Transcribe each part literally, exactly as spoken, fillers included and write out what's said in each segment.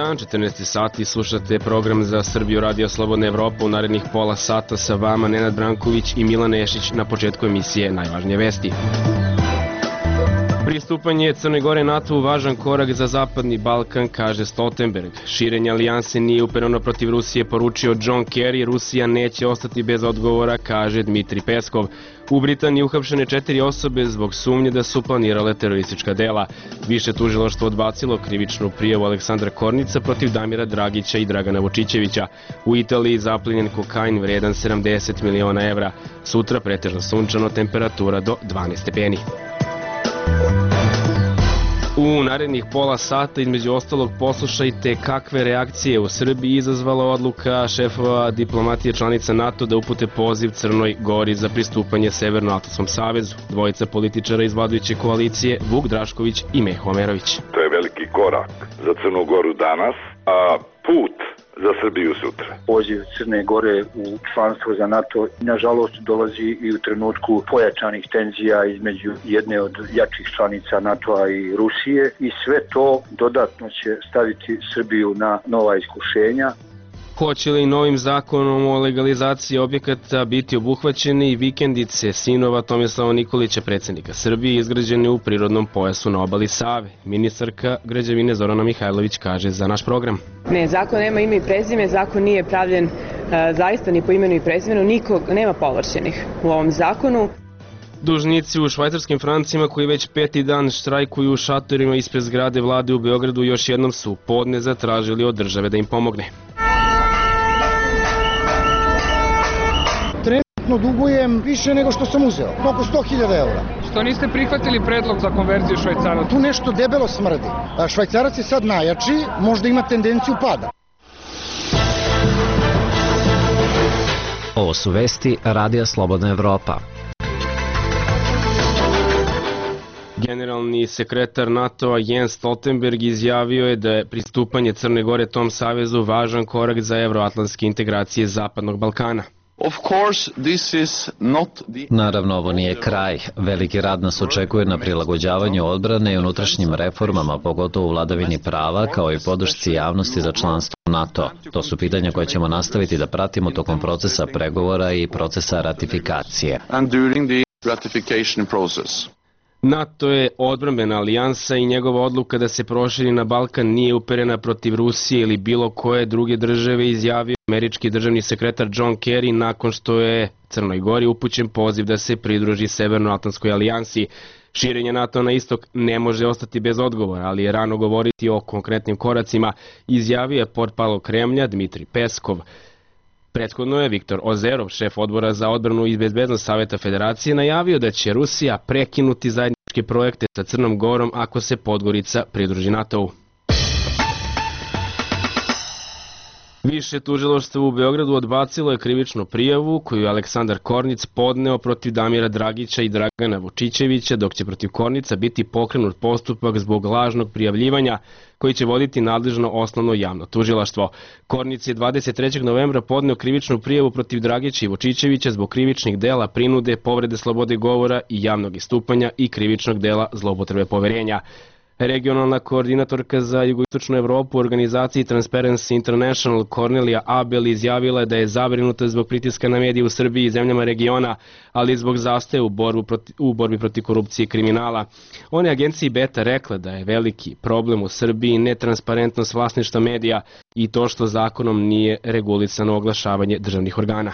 dan, četrnaesti sati, slušate program za Srbiju Radio Slobodna Evropa. U narednih pola sata sa vama Nenad Branković i Milan Nešić. Na početku emisije najvažnije vesti. Pristupanje Crne Gore NATO-u važan korak za Zapadni Balkan, kaže Stoltenberg. Širenje alijanse nije upereno protiv Rusije, poručio John Kerry. Rusija neće ostati bez odgovora, kaže Dmitri Peskov. U Britaniji uhapšene četiri osobe zbog sumnje da su planirale teroristička dela. Više tužilaštvo odbacilo krivičnu prijavu Aleksandra Kornica protiv Damira Dragića i Dragana Vučićevića. U Italiji zaplinjen kokain vredan sedamdeset miliona evra. Sutra pretežno sunčano, temperatura do dvanaest stepeni. U narednih pola sata, između ostalog, poslušajte kakve reakcije u Srbiji izazvala odluka šefova diplomatije članica NATO da upute poziv Crnoj Gori za pristupanje Severnoatlantskom savezu. Dvojica političara iz vladajuće koalicije, Vuk Drašković i Meho Omerović. To je veliki korak za Crnu Goru danas, a put za Srbiju sutra. Poziv Crne Gore u članstvo za NATO nažalost dolazi i u trenutku pojačanih tenzija između jedne od jačih članica NATO-a i Rusije i sve to dodatno će staviti Srbiju na nova iskušenja. Hoće li novim zakonom o legalizaciji objekata biti obuhvaćeni i vikendice sinova Tomislava Nikolića, predsjednika Srbije, izgrađene u prirodnom pojasu na obali Save? Ministarka građevine Zorana Mihajlović kaže za naš program. Ne, zakon nema ime i prezime, zakon nije pravljen uh, zaista ni po imenu i prezimenu, nikog nema povlašćenih u ovom zakonu. Dužnici u švajcarskim francima koji već peti dan štrajkuju u šatorima ispred zgrade vlade u Beogradu još jednom su podne zatražili od države da im pomogne. Dugujem više nego što sam uzeo, oko sto hiljada eura. Što niste prihvatili predlog za konverziju švajcaraca? Tu nešto debelo smrdi. Švajcarac je sad najjači, možda ima tendenciju pada. Ovo su vesti Radija Slobodna Evropa. Generalni sekretar NATO-a Jens Stoltenberg izjavio je da je pristupanje Crne Gore tom savezu važan korak za evroatlantske integracije Zapadnog Balkana. Naravno, ovo nije kraj. Veliki rad nas očekuje na prilagođavanju odbrane i unutrašnjim reformama, pogotovo u vladavini prava, kao i podršci javnosti za članstvo u NATO. To su pitanja koje ćemo nastaviti da pratimo tokom procesa pregovora i procesa ratifikacije. NATO je odbrambena alijansa i njegova odluka da se proširi na Balkan nije uperena protiv Rusije ili bilo koje druge države, izjavio američki državni sekretar John Kerry nakon što je Crnoj Gori upućen poziv da se pridruži Severnoatlantskoj alijansi. Širenje NATO na istok ne može ostati bez odgovora, ali je rano govoriti o konkretnim koracima, izjavio je portparol Kremlja Dmitri Peskov. Prethodno je Viktor Ozerov, šef odbora za odbranu i bezbednost Saveta Federacije, najavio da će Rusija prekinuti zajedničke projekte sa Crnom Gorom ako se Podgorica pridruži NATO-u. Više tužilaštvo u Beogradu odbacilo je krivičnu prijavu koju je Aleksandar Kornic podneo protiv Damira Dragića i Dragana Vučićevića, dok će protiv Kornica biti pokrenut postupak zbog lažnog prijavljivanja koji će voditi nadležno osnovno javno tužilaštvo. Kornic je dvadeset trećeg novembra podneo krivičnu prijavu protiv Dragića i Vučićevića zbog krivičnih dela prinude, povrede slobode govora i javnog istupanja i krivičnog dela zloupotrebe poverenja. Regionalna koordinatorka za jugoistočnu Evropu u organizaciji Transparency International Kornelija Abel izjavila je da je zabrinuta zbog pritiska na medije u Srbiji i zemljama regiona, ali i zbog zastoja u, u borbi protiv korupcije i kriminala. Ona je agenciji Beta rekla da je veliki problem u Srbiji netransparentnost vlasništva medija i to što zakonom nije regulisano oglašavanje državnih organa.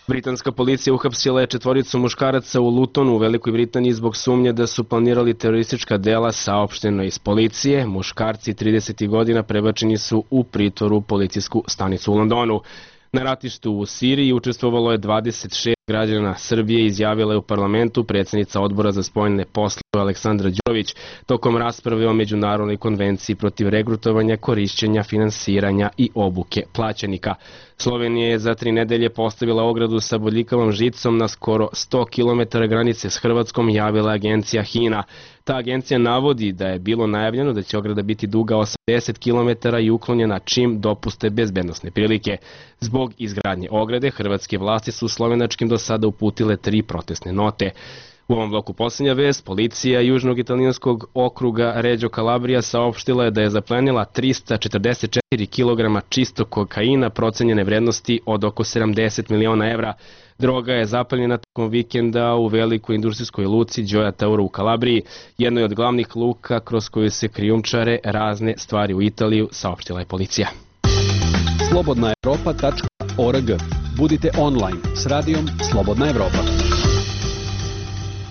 Britanska policija uhapsila je četvoricu muškaraca u Lutonu u Velikoj Britaniji zbog sumnje da su planirali teroristička dela, saopšteno iz policije. Muškarci trideset godina prebačeni su u pritvoru u policijsku stanicu u Londonu. Na ratištu u Siriji učestvovalo je dvadeset šest građana Srbije, izjavila je u parlamentu predsjednica odbora za spoljne poslove Aleksandra Đurović tokom rasprave o Međunarodnoj konvenciji protiv regrutovanja, korišćenja, finansiranja i obuke plaćenika. Slovenija je za tri nedelje postavila ogradu sa bodljikavom žicom na skoro sto kilometara granice s Hrvatskom, javila agencija HINA. Ta agencija navodi da je bilo najavljeno da će ograda biti duga osamdeset kilometara i uklonjena čim dopuste bezbednosne prilike. Zbog izgradnje ograde, hrvatske vlasti su slovenačkim do sada uputile tri protestne note. U ovom bloku posljednja vest, policija južnog italijanskog okruga Reggio Calabria saopštila je da je zaplenila trista četrdeset četiri kilograma čistog kokaina procenjene vrednosti od oko sedamdeset miliona evra. Droga je zaplenjena tokom vikenda u velikoj industrijskoj luci Gioia Tauro u Kalabriji, jednoj od glavnih luka kroz koju se krijumčare razne stvari u Italiju, saopštila je policija. slobodna evropa tačka org. Budite online s radijom Slobodna Evropa.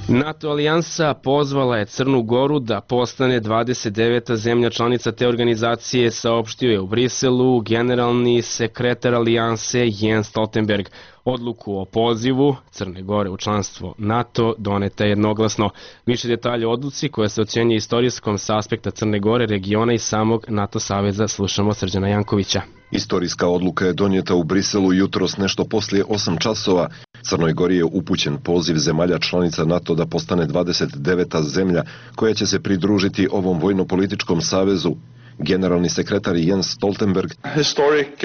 NATO alijansa pozvala je Crnu Goru da postane dvadeset deveta zemlja članica te organizacije, saopštio je u Briselu generalni sekretar alijanse Jens Stoltenberg. Odluku o pozivu Crne Gore u članstvo NATO doneta je jednoglasno. Više detalje o odluci koja se ocjenjuje istorijskom s aspekta Crne Gore, regiona i samog NATO saveza slušamo Srđana Jankovića. Istorijska odluka je donijeta u Briselu jutros nešto poslije osam časova. Crnoj Gori je upućen poziv zemalja članica NATO da postane dvadeset deveta zemlja koja će se pridružiti ovom vojno-političkom savezu. Generalni sekretar Jens Stoltenberg. Historic uh,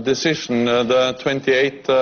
decision, uh, the twenty-eight uh...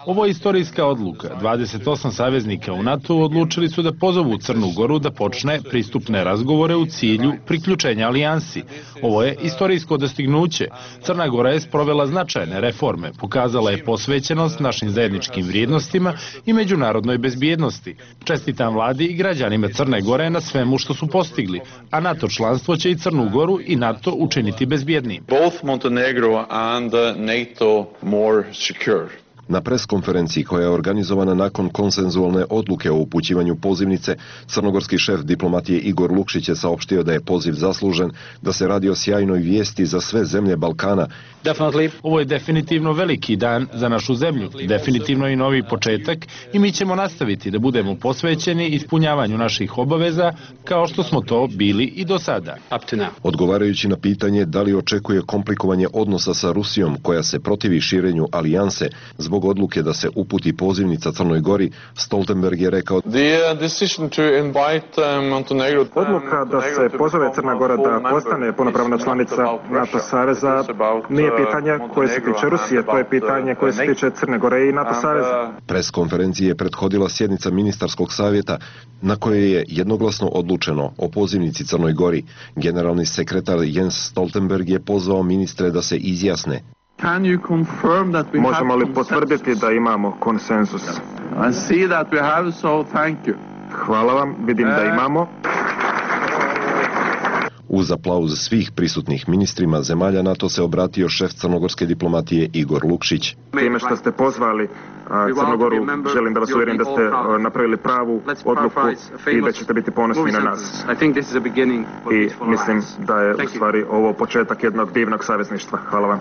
Ovo je istorijska odluka. dvadeset osam saveznika u NATO odlučili su da pozovu Crnu Goru da počne pristupne razgovore u cilju priključenja alijansi. Ovo je istorijsko dostignuće. Crna Gora je sprovela značajne reforme, pokazala je posvećenost našim zajedničkim vrijednostima i međunarodnoj bezbjednosti. Čestitam vladi i građanima Crne Gore na svemu što su postigli, a NATO članstvo će i Crnu Goru i NATO učiniti bezbjednim. Both Montenegro and NATO more secure. Na preskonferenciji koja je organizovana nakon konsenzualne odluke o upućivanju pozivnice, crnogorski šef diplomatije Igor Lukšić je saopštio da je poziv zaslužen, da se radi o sjajnoj vijesti za sve zemlje Balkana. Definitely. Ovo je definitivno veliki dan za našu zemlju, definitivno i novi početak i mi ćemo nastaviti da budemo posvećeni ispunjavanju naših obaveza kao što smo to bili i do sada. Odgovarajući na pitanje da li očekuje komplikovanje odnosa sa Rusijom koja se protivi širenju alijanse zbog odluke da se uputi pozivnica Crnoj Gori, Stoltenberg je rekao: Odluka da se pozove Crna Gora da postane punopravna članica NATO saveza nije pitanje koje se tiče Rusije, to je pitanje koje se tiče Crne Gore i NATO saveza. Preskonferenciji je prethodila sjednica ministarskog savjeta na kojoj je jednoglasno odlučeno o pozivnici Crnoj Gori. Generalni sekretar Jens Stoltenberg je pozvao ministre da se izjasne. Možemo li potvrditi da imamo konsenzus? Hvala vam, vidim da imamo. Uz aplauz svih prisutnih ministrima zemalja NATO se obratio šef crnogorske diplomatije Igor Lukšić. Time što ste pozvali Crnogoru, želim da vas uvjerim da ste napravili pravu odluku i da ćete biti ponosni na nas. I mislim da je u stvari ovo početak jednog divnog savezništva. Hvala vam.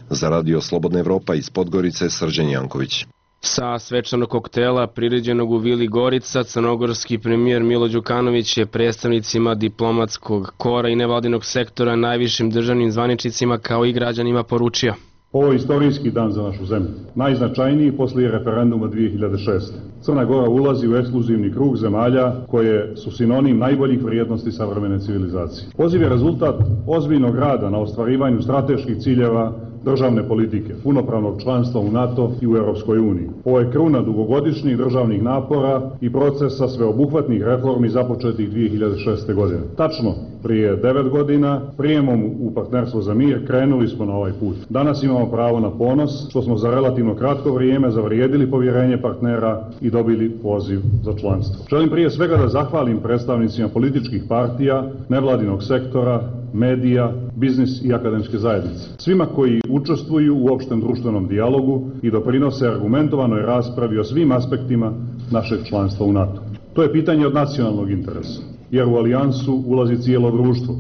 Za radio Slobodna Evropa iz Podgorice, Srđan Janković. Sa svečanog koktela priređenog u Vili Gorica, crnogorski premijer Milo Đukanović je predstavnicima diplomatskog kora i nevladinog sektora, najvišim državnim zvaničnicima kao i građanima poručio: Ovo je istorijski dan za našu zemlju, najznačajniji poslije referenduma dvije hiljade šeste. Crna Gora ulazi u ekskluzivni krug zemalja koje su sinonim najboljih vrijednosti savremene civilizacije. Poziv je rezultat ozbiljnog rada na ostvarivanju strateških ciljeva državne politike, punopravnog članstva u NATO i u Europskoj uniji. Ovo je kruna dugogodišnjih državnih napora i procesa sveobuhvatnih reformi započetih dvije hiljade šeste. godine. Tačno, prije devet godina, prijemom u partnerstvo za mir, krenuli smo na ovaj put. Danas imamo pravo na ponos, što smo za relativno kratko vrijeme zavrijedili povjerenje partnera i dobili poziv za članstvo. Želim prije svega da zahvalim predstavnicima političkih partija, nevladinog sektora, medija, biznis i akademske zajednice. Svima koji učestvuju u opštem društvenom dijalogu i doprinose argumentovanoj raspravi o svim aspektima našeg članstva u NATO. To je pitanje od nacionalnog interesa, jer u alijansu ulazi cijelo društvo,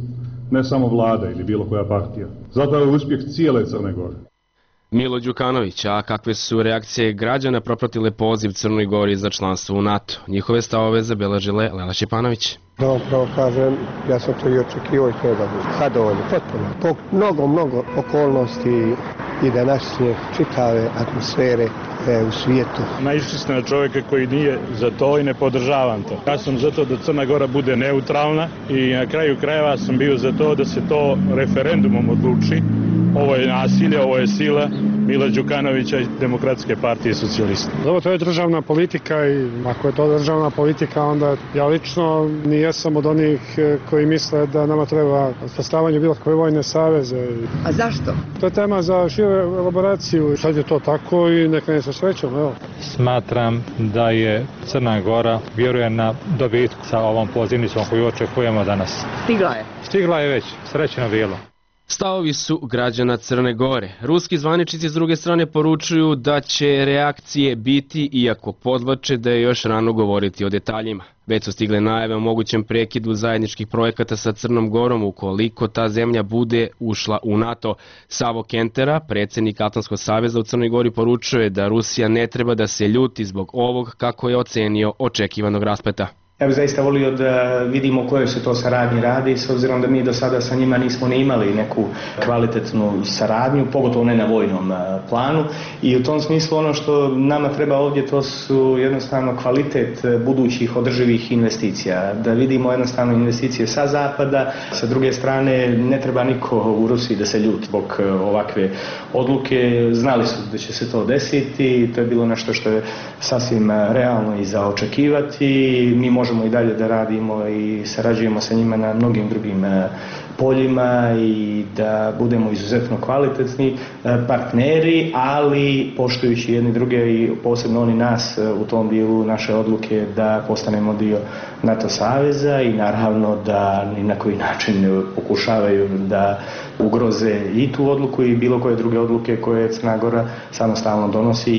ne samo vlada ili bilo koja partija. Zato je uspjeh cijele Crne Gore. Milo Đukanović, a kakve su reakcije građana propratile poziv Crnoj Gori za članstvo u NATO? Njihove stavove zabeležile Lela Šipanović. Da vam pravo kažem, ja sam to i očekivao i to je da bude zadovoljno, potpuno. Po mnogo, mnogo okolnosti i današnje čitave atmosfere u svijetu. Naišli ste na čovjeka koji nije za to i ne podržavam to. Ja sam za to da Crna Gora bude neutralna i na kraju krajeva sam bio za to da se to referendumom odluči. Ovo je nasilje, ovo je sila Mila Đukanovića i Demokratske partije socijalista. Dobro, to je državna politika i ako je to državna politika, onda ja lično ni jesam od onih koji misle da nama treba sastavanje bilo kakve vojne saveze. A zašto? To je tema za širu elaboraciju. Sad je to tako i neka ne se srećemo, evo. Smatram da je Crna Gora vjeruje na dobitku sa ovom pozivnicom koju očekujemo danas. Stigla je? Stigla je već, srećno bilo. Stavovi su građana Crne Gore. Ruski zvaničnici s druge strane poručuju da će reakcije biti, iako podvlače da je još rano govoriti o detaljima. Već su stigle najave o mogućem prekidu zajedničkih projekata sa Crnom Gorom ukoliko ta zemlja bude ušla u NATO. Savo Kentera, predsjednik Atlantskog saveza u Crnoj Gori, poručuje da Rusija ne treba da se ljuti zbog ovog, kako je ocenio, očekivanog raspleta. Ja bih zaista volio da vidimo o kojoj se to saradnji radi, s obzirom da mi do sada sa njima nismo ni imali neku kvalitetnu saradnju, pogotovo ne na vojnom planu. I u tom smislu ono što nama treba ovdje to su jednostavno kvalitet budućih održivih investicija. Da vidimo jednostavno investicije sa zapada, sa druge strane ne treba niko u Rusiji da se ljuti zbog ovakve odluke. Znali su da će se to desiti, to je bilo nešto što je sasvim realno i za očekivati. Mi možemo možemo i dalje da radimo i sarađujemo sa njima na mnogim drugim poljima i da budemo izuzetno kvalitetni partneri, ali poštujući jedni druge i posebno oni nas u tom dijelu naše odluke da postanemo dio NATO saveza i naravno da ni na koji način pokušavaju da ugroze i tu odluku i bilo koje druge odluke koje Crna Gora samostalno donosi.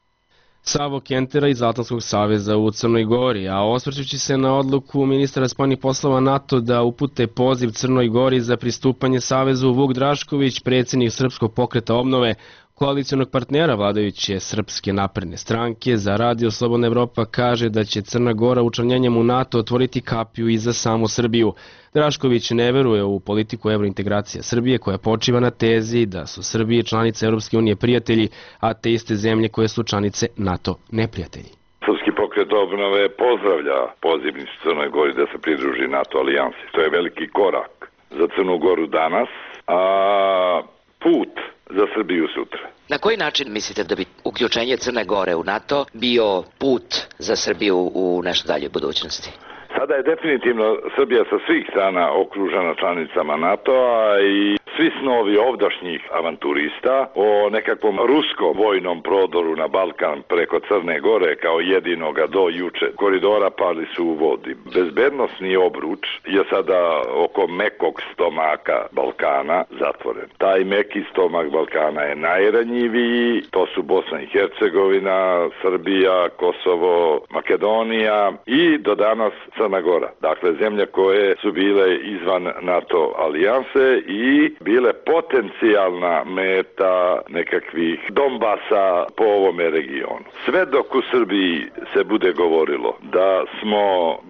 Savo Kentera iz Atlantskog saveza u Crnoj Gori, a osvrćući se na odluku ministra spoljnih poslova NATO da upute poziv Crnoj Gori za pristupanje savezu, Vuk Drašković, predsjednik Srpskog pokreta obnove, koalicionog partnera vladajuće Srpske napredne stranke, za Radio Slobodna Evropa kaže da će Crna Gora učlanjenjem u NATO otvoriti kapiju i za samu Srbiju. Drašković ne veruje u politiku evrointegracije Srbije koja počiva na tezi da su Srbije članice Europske unije prijatelji, a te iste zemlje koje su članice NATO neprijatelji. Srpski pokret obnove pozdravlja pozivnicu Crnoj Gori da se pridruži NATO alijansi. To je veliki korak za Crnu Goru danas, a put za Srbiju sutra. Na koji način mislite da bi uključenje Crne Gore u NATO bio put za Srbiju u nešto dalje budućnosti? Sada je definitivno Srbija sa svih strana okružena članicama NATO-a i svi snovi ovdašnjih avanturista o nekakvom ruskom vojnom prodoru na Balkan preko Crne Gore kao jedinoga do juče koridora pali su u vodi. Bezbednostni obruč je sada oko mekog stomaka Balkana zatvoren. Taj meki stomak Balkana je najranjiviji, to su Bosna i Hercegovina, Srbija, Kosovo, Makedonija i do danas Crna Gora. Dakle, zemlje koje su bile izvan NATO alijanse i bile potencijalna meta nekakvih Donbasa po ovome regionu. Sve dok u Srbiji se bude govorilo da smo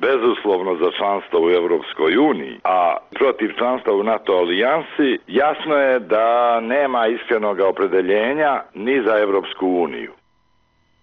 bezuslovno za članstvo u Evropskoj uniji, a protiv članstva u NATO alijansi, jasno je da nema iskrenog opredeljenja ni za Evropsku uniju.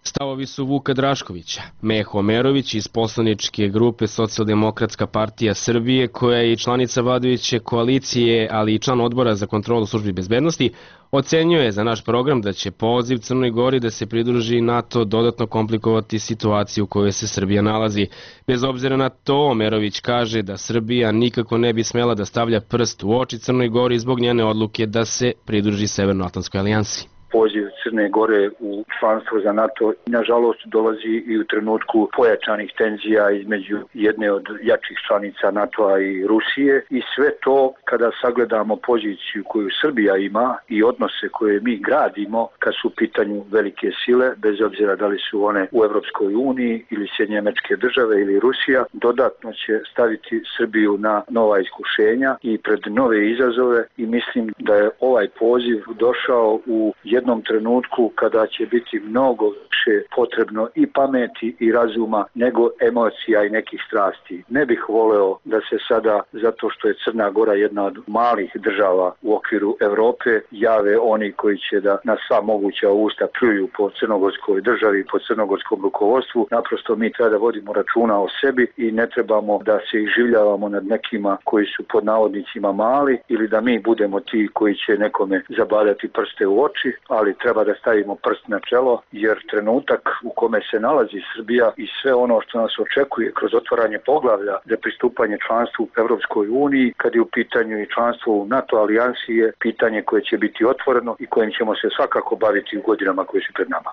Stavovi su Vuka Draškovića. Meho Omerović iz poslaničke grupe Socijaldemokratska partija Srbije, koja je i članica vladajuće koalicije, ali i član odbora za kontrolu službi bezbednosti, ocenjuje za naš program da će poziv Crnoj Gori da se pridruži NATO dodatno komplikovati situaciju u kojoj se Srbija nalazi. Bez obzira na to, Omerović kaže da Srbija nikako ne bi smela da stavlja prst u oči Crnoj Gori zbog njene odluke da se pridruži Severnoatlantskoj alijansi. Poziv Crne Gore u članstvo za NATO nažalost dolazi i u trenutku pojačanih tenzija između jedne od jačih članica NATO-a i Rusije i sve to kada sagledamo poziciju koju Srbija ima i odnose koje mi gradimo kad su u pitanju velike sile, bez obzira da li su one u Evropskoj uniji ili Sjedinjene Američke Države ili Rusija, dodatno će staviti Srbiju na nova iskušenja i pred nove izazove i mislim da je ovaj poziv došao u jednom trenutku kada će biti mnogo više potrebno i pameti i razuma nego emocija i nekih strasti. Ne bih voleo da se sada, zato što je Crna Gora jedna od malih država u okviru Evrope, jave oni koji će da na sva moguća usta pljuju po crnogorskoj državi i po crnogorskom rukovodstvu. Naprosto mi treba da vodimo računa o sebi i ne trebamo da se iživljavamo nad nekima koji su pod navodnicima mali ili da mi budemo ti koji će nekome zabadati prste u oči, ali treba da stavimo prst na čelo, jer trenutak u kome se nalazi Srbija i sve ono što nas očekuje kroz otvaranje poglavlja za pristupanje članstvu u Evropskoj uniji, kad je u pitanju i članstvo u NATO alijansi, je pitanje koje će biti otvoreno i kojim ćemo se svakako baviti u godinama koje su pred nama.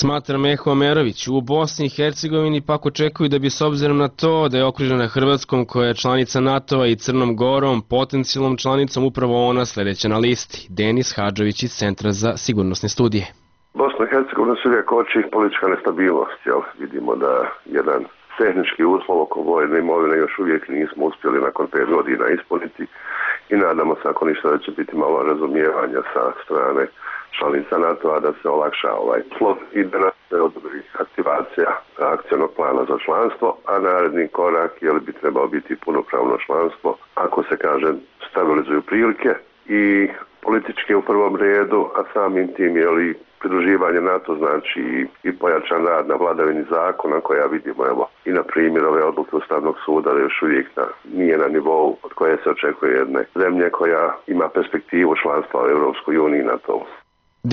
Smatra Meho Omerović. U Bosni i Hercegovini pak očekuju da bi s obzirom na to da je okružena Hrvatskom koja je članica NATO-a i Crnom Gorom potencijalnom članicom upravo ona sledeća na listi. Denis Hadžović iz Centra za sigurnosne studije. Bosna i Hercegovina se uvijek oči politička nestabilnost. Jel? Vidimo da jedan tehnički uslov oko vojne imovine još uvijek nismo uspjeli nakon pet godina ispuniti i nadamo se ako ništa da će biti malo razumijevanja sa strane članica NATO-a da se olakša ovaj slot i da nas se odobri aktivacija akcionog plana za članstvo, a naredni korak je li bi trebao biti punopravno članstvo ako se kaže stabilizuju prilike i politički u prvom redu, a samim tim je li pridruživanje NATO znači i pojačan rad na vladavini zakona koja vidimo evo i na primjer ove odluke Ustavnog suda da još uvijek na, nije na nivou od koje se očekuje jedne zemlje koja ima perspektivu članstva u Europskoj uniji i NATO.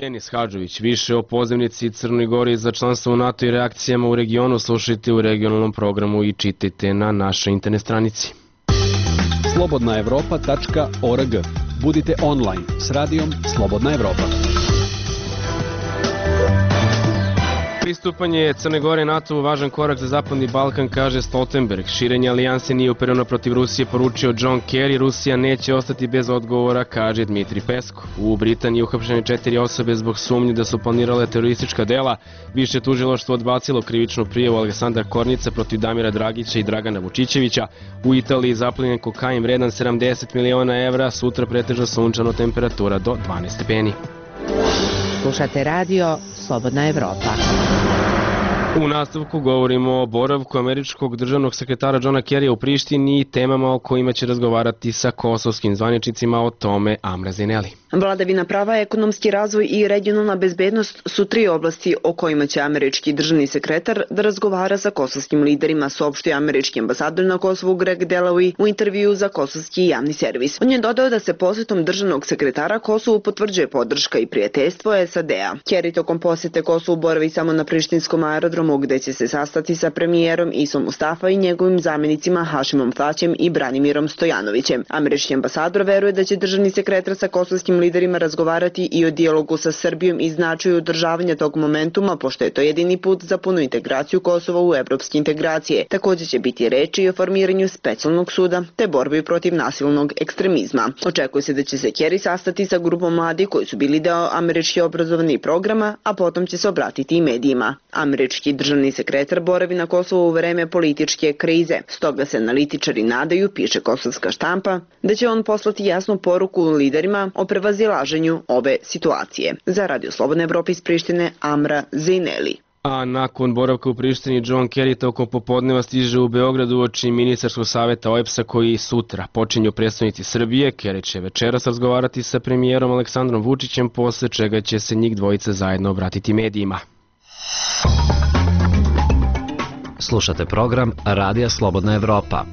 Denis Hadžović, više o pozivnici Crnoj Gori za članstvo u NATO i reakcijama u regionu slušajte u regionalnom programu i čitajte na našoj internet stranici. slobodna evropa tačka org. Budite online s radijom Slobodna Evropa. Pristupanje Crne Gore NATO u važan korak za Zapadni Balkan, kaže Stoltenberg. Širenje alijanse nije upereno protiv Rusije, poručio John Kerry. Rusija neće ostati bez odgovora, kaže Dmitri Peskov. U Britaniji uhapšene četiri osobe zbog sumnje da su planirale teroristička dela. Više tužilaštvo odbacilo krivičnu prijavu Aleksandra Kornica protiv Damira Dragića i Dragana Vučićevića. U Italiji zaplenjen kokain vredan sedamdeset miliona evra, sutra pretežno sunčano, temperatura do dvanaest stepeni. Slušate radio Slobodna Evropa. U nastavku govorimo o boravku američkog državnog sekretara Johna Kerrya u Prištini i temama o kojima će razgovarati sa kosovskim zvaničnicima, o tome Amra Zineli. Vladavina prava, ekonomski razvoj i regionalna bezbednost su tri oblasti o kojima će američki državni sekretar da razgovara sa kosovskim liderima, saopštio američki ambasador na Kosovu Greg Delawy u intervju za kosovski javni servis. On je dodao da se posjetom državnog sekretara Kosovu potvrđuje podrška i prijateljstvo S A D-a. Kerry tokom posjete Kosovu boravi samo na prištinskom aerodromu gde će se sastati sa premijerom Isom Mustafa i njegovim zamjenicima Hašimom Taćem i Branimirom Stojanovićem. Američki ambasador veruje da će državni sekretar sa kosovskim liderima razgovarati i o dijalogu sa Srbijom i značaju održavanja tog momentuma, pošto je to jedini put za punu integraciju Kosova u evropske integracije. Također će biti reči i o formiranju specijalnog suda te borbi protiv nasilnog ekstremizma. Očekuje se da će se Kerry sastati sa grupom mladih koji su bili deo američki obrazovnih programa, a potom će se obratiti i medijima. Američki državni sekretar boravi na Kosovu u vreme političke krize, stoga se analitičari nadaju, piše kosovska štampa, da će on poslati jasnu poruku liderima o prevazilaženju ove situacije. Za Radio Slobodna Evropa iz Prištine, Amra Zineli. A nakon boravka u Prištini, John Kerry tokom popodneva stiže u Beogradu uoči ministarskog saveta O E B S-a koji sutra počinju predstavnici Srbije. Kerry će večeras razgovarati sa premijerom Aleksandrom Vučićem, posle čega će se njih dvojice zajedno obratiti medijima. Slušate program Radija Slobodna Evropa.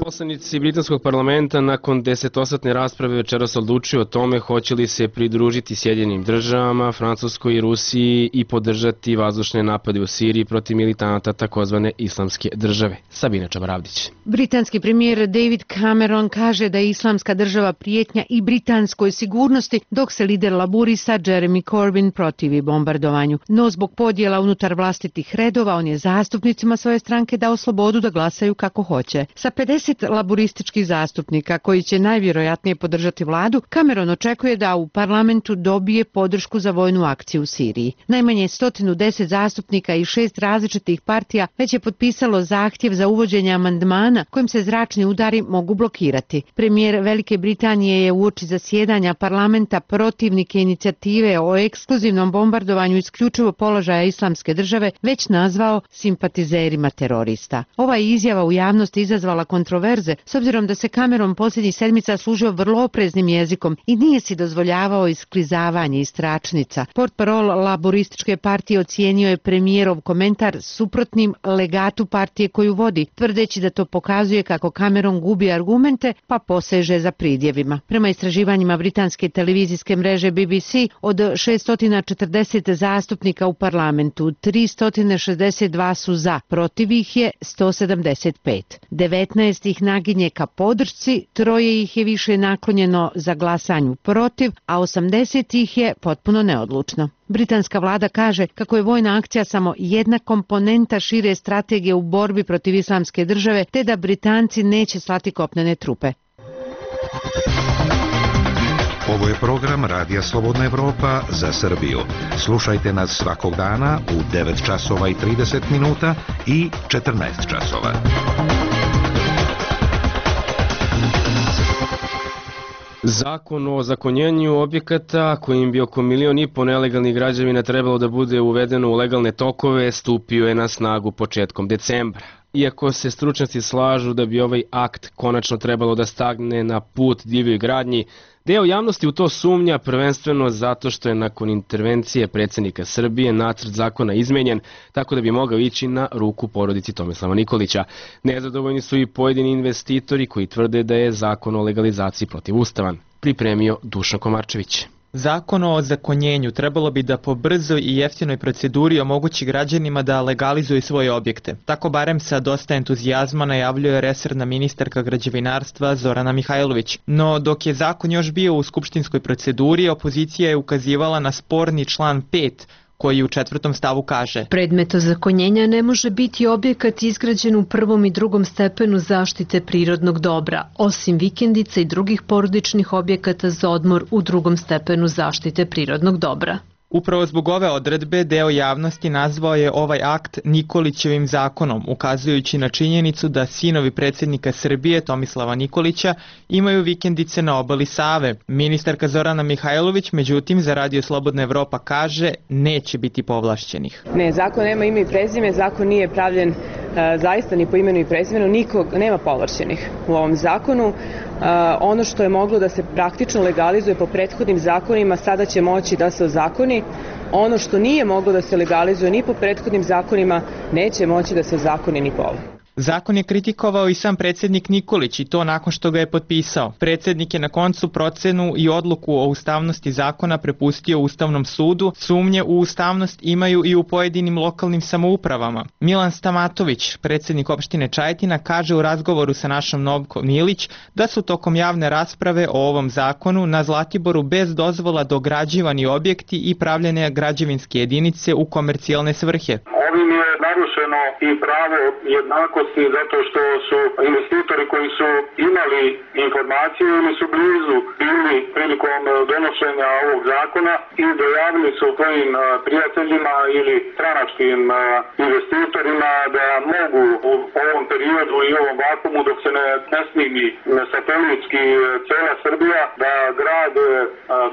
Poslanici britanskog parlamenta nakon desetosatne rasprave večeras odlučuju o tome hoće li se pridružiti Sjedinjenim državama, Francuskoj i Rusiji i podržati vazdušne napade u Siriji protiv militanata takozvane Islamske države. Sabina Čabaravdić. Britanski premijer David Cameron kaže da je Islamska država prijetnja i britanskoj sigurnosti, dok se lider laburista Jeremy Corbyn protivi bombardovanju. No zbog podjela unutar vlastitih redova on je zastupnicima svoje stranke dao slobodu da glasaju kako hoće. Sa pedeset laburističkih zastupnika koji će najvjerojatnije podržati vladu, Cameron očekuje da u parlamentu dobije podršku za vojnu akciju u Siriji. Najmanje sto deset zastupnika i šest različitih partija već je potpisalo zahtjev za uvođenje amandmana kojim se zračni udari mogu blokirati. Premijer Velike Britanije je uoči zasjedanja parlamenta protivnike inicijative o ekskluzivnom bombardovanju isključivo položaja Islamske države već nazvao simpatizerima terorista. Ova izjava u javnosti izazvala kontroverzu kontroverze, s obzirom da se Cameron posljednjih sedmica služio vrlo opreznim jezikom i nije si dozvoljavao isklizavanje iz tračnica. Portparol laborističke partije ocijenio je premijerov komentar suprotnim legatu partije koju vodi, tvrdeći da to pokazuje kako Cameron gubi argumente pa poseže za pridjevima. Prema istraživanjima britanske televizijske mreže B B C, od šessto četrdeset zastupnika u parlamentu, tristo šezdeset dva su za, protiv ih je sto sedamdeset pet. devetnaest ih naginje ka podršci, troje ih je više naklonjeno za glasanju protiv, a osamdeset ih je potpuno neodlučno. Britanska vlada kaže kako je vojna akcija samo jedna komponenta šire strategije u borbi protiv islamske države, te da Britanci neće slati kopnene trupe. Ovo je program Radija Slobodna Evropa za Srbiju. Slušajte nas svakog dana u devet časova i trideset minuta i četrnaest časova. Zakon o ozakonjenju objekata kojim bi oko milion i po nelegalnih građevina trebalo da bude uvedeno u legalne tokove stupio je na snagu početkom decembra. Iako se stručnjaci slažu da bi ovaj akt konačno trebalo da stagne na put divljoj gradnji, deo javnosti u to sumnja prvenstveno zato što je nakon intervencije predsjednika Srbije nacrt zakona izmenjen tako da bi mogao ići na ruku porodici Tomislava Nikolića. Nezadovoljni su i pojedini investitori koji tvrde da je zakon o legalizaciji protivustavan. Pripremio Dušan Komarčević. Zakon o ozakonjenju trebalo bi da po brzoj i jeftinoj proceduri omogući građanima da legalizuju svoje objekte. Tako barem sa dosta entuzijazma najavljuje resorna ministarka građevinarstva Zorana Mihajlović. No dok je zakon još bio u skupštinskoj proceduri, opozicija je ukazivala na sporni član pet, koji u četvrtom stavu kaže: predmet ozakonjenja ne može biti objekat izgrađen u prvom i drugom stepenu zaštite prirodnog dobra, osim vikendica i drugih porodičnih objekata za odmor u drugom stepenu zaštite prirodnog dobra. Upravo zbog ove odredbe deo javnosti nazvao je ovaj akt Nikolićevim zakonom, ukazujući na činjenicu da sinovi predsjednika Srbije Tomislava Nikolića imaju vikendice na obali Save. Ministarka Zorana Mihajlović, međutim, za Radio Slobodna Evropa kaže neće biti povlašćenih. Ne, zakon nema ime i prezime, zakon nije pravljen e, zaista ni po imenu i prezimenu, nikog nema povlašćenih u ovom zakonu. Uh, ono što je moglo da se praktično legalizuje po prethodnim zakonima sada će moći da se ozakoni. Ono što nije moglo da se legalizuje ni po prethodnim zakonima neće moći da se ozakoni ni po ovom. Zakon je kritikovao i sam predsjednik Nikolić i to nakon što ga je potpisao. Predsjednik je na koncu procenu i odluku o ustavnosti zakona prepustio Ustavnom sudu. Sumnje u ustavnost imaju i u pojedinim lokalnim samoupravama. Milan Stamatović, predsjednik opštine Čajetina, kaže u razgovoru sa našom Novkom Milić da su tokom javne rasprave o ovom zakonu na Zlatiboru bez dozvola dograđivani objekti i pravljene građevinske jedinice u komercijalne svrhe. Ovim je narušeno i pravo jednakosti zato što su investitori koji su imali informaciju ili su blizu bili prilikom donošenja ovog zakona i dojavili su svojim prijateljima ili stranačkim investitorima da mogu u ovom periodu i ovom vakumu dok se ne, ne snimi satelitski cela Srbija da grade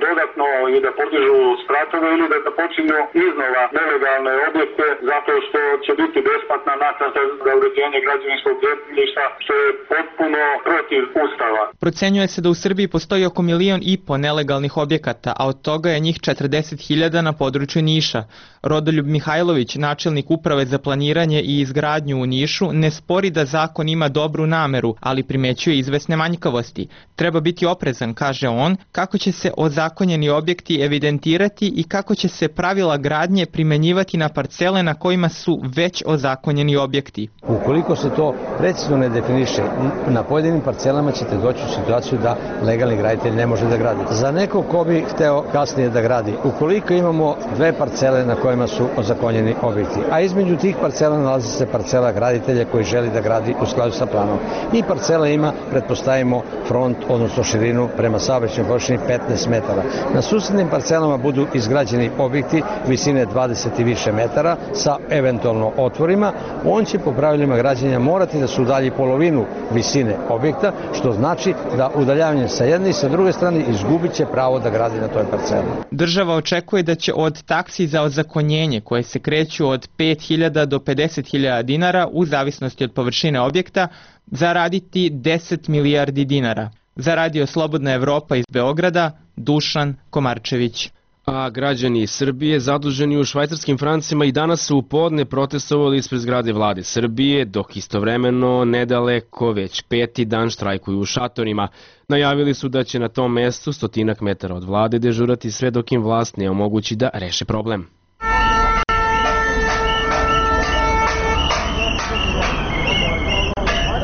dodatno i da podižu spratove ili da, da počinju iznova nelegalne objekte zato što će biti besplatna naknada za uređenje građevinskog zemljišta, što je potpuno protiv Ustava. Procenjuje se da u Srbiji postoji oko milion i po nelegalnih objekata, a od toga je njih četrdeset hiljada na području Niša. Rodoljub Mihajlović, načelnik uprave za planiranje i izgradnju u Nišu, ne spori da zakon ima dobru nameru, ali primećuje izvesne manjkavosti. Treba biti oprezan, kaže on, kako će se ozakonjeni objekti evidentirati i kako će se pravila gradnje primenjivati na parcele na kojima su već ozakonjeni objekti. Ukoliko se to precizno ne definiše, na pojedinim parcelama ćete doći u situaciju da legalni graditelj ne može da gradi. Za neko ko bi hteo kasnije da gradi, ukoliko imamo dve parcele na kojima su ozakonjeni objekti, a između tih parcela nalazi se parcela graditelja koji želi da gradi u skladu sa planom. I parcela ima, pretpostavimo, front, odnosno širinu prema saobraćajnoj površini petnaest metara. Na susednim parcelama budu izgrađeni objekti visine dvadeset i više metara sa eventualno eventualno otvorima, on će po pravilima građenja morati da se udalji polovinu visine objekta, što znači da udaljavanjem sa jedne i sa druge strane izgubit će pravo da gradi na toj parceli. Država očekuje da će od taksi za ozakonjenje, koje se kreću od pet hiljada do pedeset hiljada dinara u zavisnosti od površine objekta, zaraditi deset milijardi dinara. Za Radio Slobodna Evropa iz Beograda, Dušan Komarčević. A građani Srbije zaduženi u švajcarskim francima i danas su u podne protestovali ispred zgrade vlade Srbije, dok istovremeno nedaleko već peti dan štrajkuju u šatorima. Najavili su da će na tom mestu stotinak metara od vlade dežurati sve dok im vlast ne omogući da reše problem.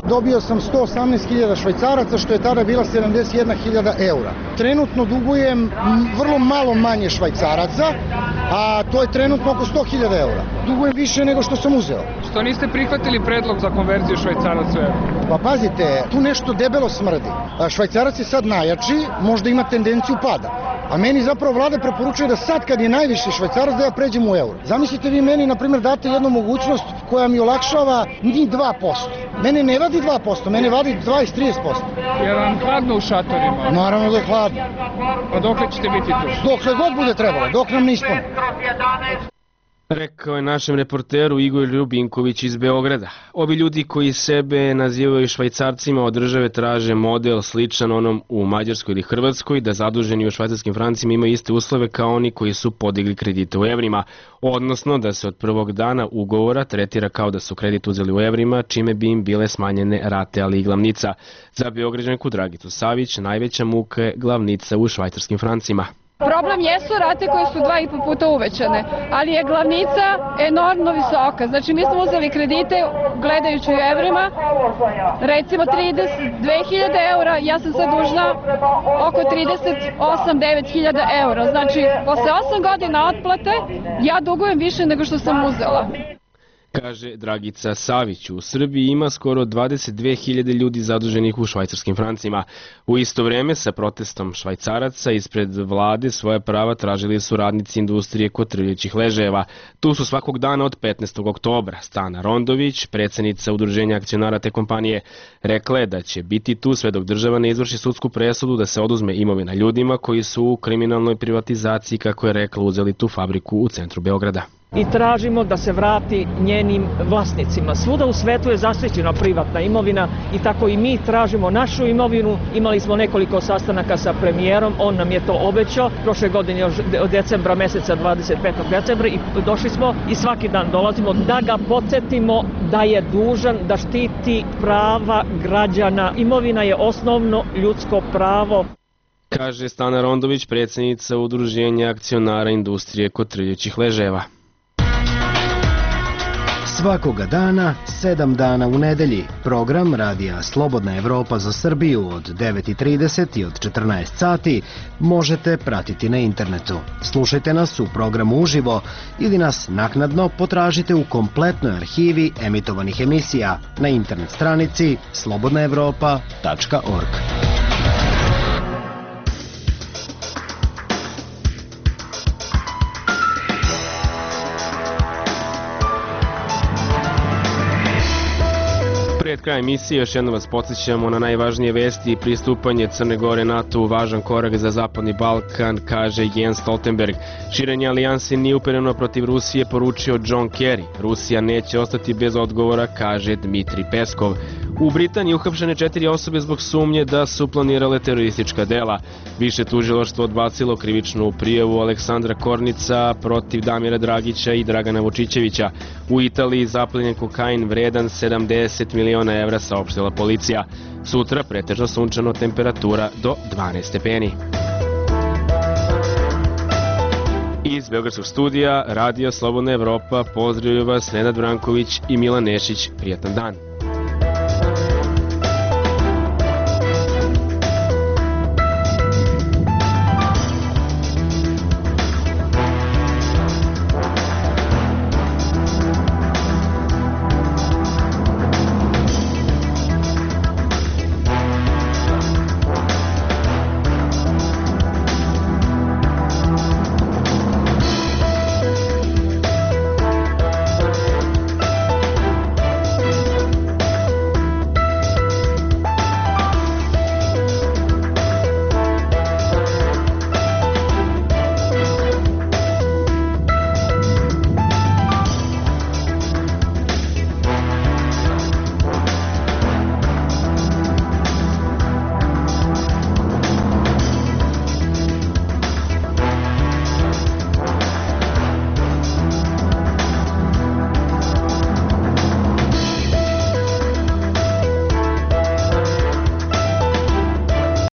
Dobio sam sto osamnaest hiljada švajcaraca, što je tada bila sedamdeset jedna hiljada eura. Trenutno dugujem vrlo malo manje švajcaraca, a to je trenutno oko sto hiljada eura. Dugujem više nego što sam uzeo. Što niste prihvatili predlog za konverziju švajcaraca u euro? Pa pazite, tu nešto debelo smrdi. Švajcarac je sad najjači, možda ima tendenciju pada. A meni zapravo vlada preporučuje da sad kad je najviši švajcarac da ja pređem u euro. Zamislite vi meni, na primjer, date jednu mogućnost koja mi olakšava ni dva posto. Mene ne vadi dva posto, mene vadi dvadeset do trideset posto. Je vam hladno u šatorima? Naravno da je hladno. A dokle ćete biti tu? Dokle god bude trebalo, dok nam ne ispune. Rekao je našem reporteru Igor Ljubinković iz Beograda. Ovi ljudi koji sebe nazivaju švajcarcima od države traže model sličan onom u Mađarskoj ili Hrvatskoj, da zaduženi u švajcarskim francima imaju iste uslove kao oni koji su podigli kredite u evrima, odnosno da se od prvog dana ugovora tretira kao da su kredit uzeli u evrima, čime bi im bile smanjene rate, ali i glavnica. Za Beograđanku Dragicu Savić najveća muka je glavnica u švajcarskim francima. Problem jesu rate koje su dva i po puta uvećane, ali je glavnica enormno visoka. Znači mi smo uzeli kredite gledajući u evrima, recimo trideset dve hiljade eura, ja sam sad dužna oko trideset osam do devet hiljada eura. Znači posle osam godina otplate ja dugujem više nego što sam uzela. Kaže Dragica Savić. U Srbiji ima skoro dvadeset dve hiljade ljudi zaduženih u švajcarskim francima. U isto vreme sa protestom švajcaraca ispred vlade svoje prava tražili su radnici industrije kotrljajućih ležajeva. Tu su svakog dana od petnaestog oktobra. Stana Rondović, predsednica udruženja akcionara te kompanije, rekla je da će biti tu sve dok država ne izvrši sudsku presudu da se oduzme imovina ljudima koji su u kriminalnoj privatizaciji, kako je rekla, uzeli tu fabriku u centru Beograda. I tražimo da se vrati njenim vlasnicima. Svuda u svetu je zaštićena privatna imovina i tako i mi tražimo našu imovinu. Imali smo nekoliko sastanaka sa premijerom, on nam je to obećao. Prošle godine od decembra meseca, dvadeset petog decembra, i došli smo i svaki dan dolazimo da ga podsjetimo da je dužan da štiti prava građana. Imovina je osnovno ljudsko pravo. Kaže Stana Rondović, predsednica udruženja akcionara industrije kotrljajućih ležajeva. Svakoga dana, sedam dana u nedelji, program Radija Slobodna Evropa za Srbiju od devet i trideset i od četrnaest sati možete pratiti na internetu. Slušajte nas u programu uživo ili nas naknadno potražite u kompletnoj arhivi emitovanih emisija na internet stranici slobodna evropa tačka org. Pred krajem emisije još jednom vas podsjećamo na najvažnije vesti i pristupanje Crne Gore NATO-u važan korak za Zapadni Balkan, kaže Jens Stoltenberg. Širenje alijanse nije upereno protiv Rusije, poručio John Kerry. Rusija neće ostati bez odgovora, kaže Dmitri Peskov. U Britaniji uhapšene četiri osobe zbog sumnje da su planirale teroristička dela. Više tužilaštvo odbacilo krivičnu prijavu Aleksandra Kornica protiv Damira Dragića i Dragana Vučićevića. U Italiji zaplenjen kokain vredan sedamdeset miliona evra, saopštila policija. Sutra pretežno sunčano, temperatura do dvanaest stepeni. Iz Beogradskog studija Radio Slobodna Evropa pozdravljaju vas Nenad Branković i Milan Nešić. Prijatan dan.